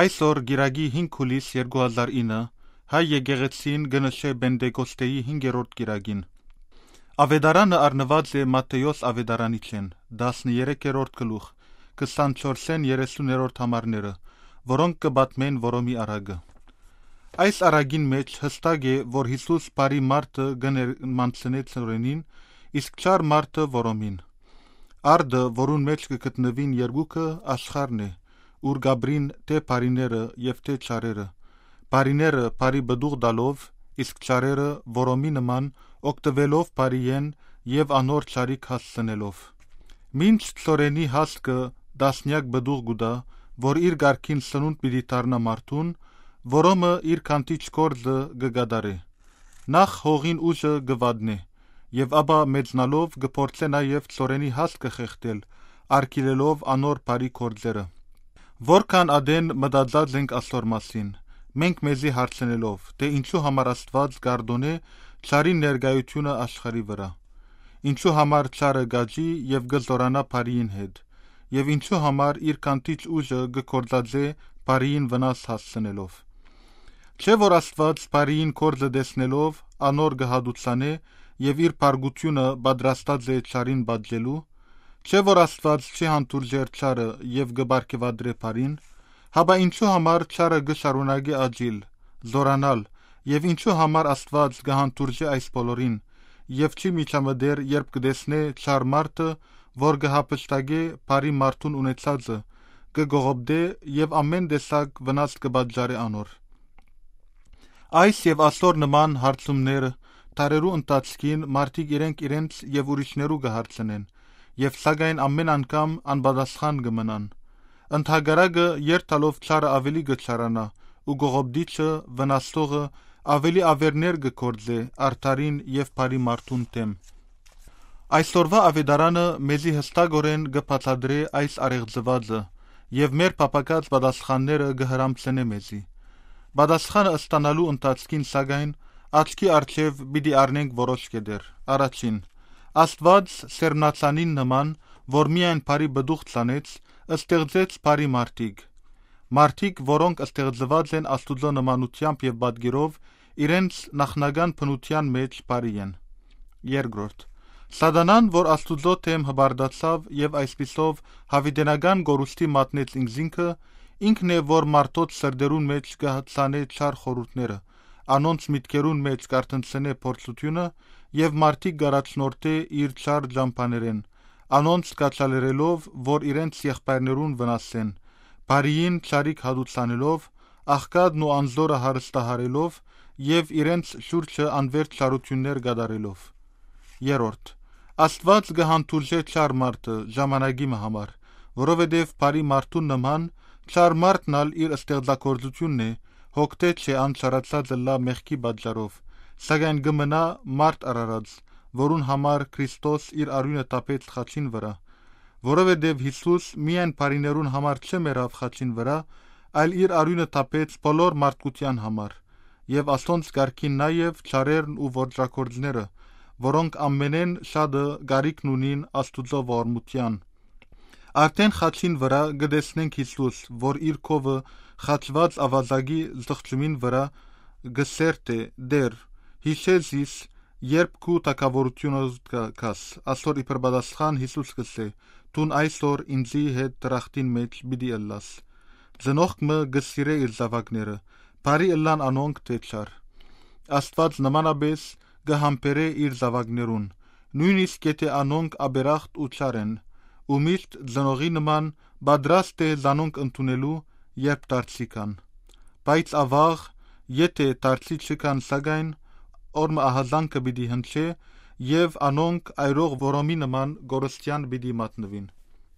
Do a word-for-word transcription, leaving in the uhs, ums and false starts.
Այսօր կիրակի հինգ հուլիս երկու հազար ինը հայ եկեղեցին կը նշէ Պենտեկոստէի հինգերորդ կիրակին։ Աւետարանը առնուած է Մատթէոս աւետարանիչէն, տասներեքերորդ գլուխ, քսանչորսէն երեսուներորդ համարները, որոնք կը պատմեն Որոմի առակը։ Այս առակին մէջ յստակ է, որ Յիսուս բարի մարդը կը ներմանցնէ Թորենին, իսկ չար մարդը՝ Որոմին։ Արդը, որուն մէջ կը գտնուին երկուքը, աշխարհն է, ուր կ'ապրին թէ բարիները եւ թէ չարերը։ Բարիները բարի պտուղ տալով, իսկ չարերը՝ որոմի նման, օգտուելով բարիէն եւ անոր չարիք հասցնելով։ Մինչ Թորենի հասկը տասնեակ պտուղ կու տայ, որ իր կարգին սնունդ պիտի դառնայ մարդուն, որոմը իր քանթիչ գործը կը կատարէ։ Նախ հողին ուժը կը վատնէ եւ ապա մեծնալով կը փորձէ նաեւ Թորենի հասկը խեղդել՝ արգիլելով անոր բարի գործերը։ Որքան ատեն մտածած ենք ասոր մասին, մենք մեզի հարցնելով, թէ ինչու համար Աստուած կ'արտօնէ չարին ներկայութիւնը աշխարհի վրայ, ինչու համար չարը կ'աճի եւ կը զօրանայ բարիին հետ, եւ ինչու համար իր քանթիչ ուժը կը գործածէ բարիին վնաս հասցնելով։ Չէ՞ որ Աստուած բարիին գործը տեսնելով՝ անոր կը հատուցանէ եւ իր փառքութիւնը պատրաստած է չարին պատժելու։ Չէ՞ որ Աստուած չի հանդուրժեր չարը եւ կը պարգեւատրէ բարին։ Հապա ինչու համար չարը կը շարունակէ աճիլ, զօրանալ, եւ ինչու համար Աստուած կը հանդուրժէ այս բոլորին եւ չի միջամտեր, երբ կը տեսնէ չար մարդը, որ կը հափշտակէ բարի մարդուն ունեցածը, կը կողոպտէ եւ ամէն տեսակ վնաս կը պատճառէ անոր։ Այս եւ ասոր նման հարցումները դարերու ընթացքին մարդիկ իրենք իրենց եւ ուրիշներու կը հարցնեն, եւ սակայն ամէն անգամ անպատասխան կը մնան։ Ընդհակառակը, երթալով չարը աւելի կը չարանայ ու կողոպտիչը, վնասողը, աւելի աւերներ կը գործէ արդարին եւ բարի մարդուն դէմ։ Այսօրվա աւետարանը մեզի յստակօրէն կը բացատրէ այս առեղծուածը եւ մեր փափաքած պատասխանները կը հրամցնէ մեզի։ Պատասխանը ստանալու ընթացքին, սակայն, աչքի առջեւ պիտի առնենք որոշ կետեր։ Առաջին, Աստուած սերմնացանին նման, որ միայն բարի պտուղ ցանեց, ստեղծեց բարի մարդիկ։ Մարդիկ, որոնք ստեղծուած են Աստուծոյ նմանութեամբ եւ պատկերով, իրենց նախնական բնութեան մէջ բարի են։ Երկրորդ, Սատանան, որ Աստուծոյ դէմ հպարտացաւ եւ այսպիսով յաւիտենական կորուստի մատնեց ինքզինքը, ինքն է, որ մարդոց սրտերուն մէջ կը ցանէ չար խորհուրդները, անոնց միտքերուն մէջ կ'արթնցնէ փորձութիւնը եւ մարդիկ կ'առաջնորդէ իր չար ճամբաներէն, անոնց կաչալերելով, որ իրենց եղբայրներուն վնասեն, բարիին չարիք հատուցանելով, աղքատն ու անզորը հարստահարելով եւ իրենց շուրջը անվերջ չարութիւններ կատարելով։ Երրորդ, Աստուած կը հանդուրժէ չար մարդը ժամանակի մը համար, որովհետեւ բարի մարդուն նման չար մարդն ալ իր ստեղծագործութիւնն է, հոգտէ չէ անչարացած ըլլայ մեղքի պատճառով, սակայն կը մնայ մարդ արարած, որուն համար Քրիստոս իր արիւնը թափեց խաչին վրայ, որովհետեւ Յիսուս միայն բարիներուն համար չմեռաւ խաչին վրայ, այլ իր արիւնը թափեց բոլոր մարդկութեան համար, եւ ասոնց կարգին նաեւ չարերն ու ոճրագործները, որոնք ամենէն շատը կարիքն ունին Աստուծոյ ողորմութեան։ Արդէն խաչին վրայ կը տեսնենք Յիսուս, որ իր քովը խաչուած աւազակի զղջումին վրայ կը սերտէ. «Տէր, յիշէ զիս, երբ քու թագաւորութիւնդ գաս»։ Ասոր իբր պատասխան Յիսուս կ'ըսէ. «Դուն այսօր ինծի հետ դրախտին մէջ պիտի ըլլաս»։ Ծնողք մը կը սիրէ իր զաւակները, բարի ըլլան անոնք թէ չար։ Աստուած նմանապէս կը համբերէ իր զաւակներուն, նոյնիսկ եթէ անոնք աբերախտ ու չար են, ու միշտ ծնողի նման պատրաստ է զանոնք ընդունելու, երբ դարձի գան։ Բայց աւաղ, եթէ դարձի չգան, սակայն, օրը ահազանգը պիտի հնչէ, եւ անոնք այրող որոմի նման կորստեան պիտի մատնուին։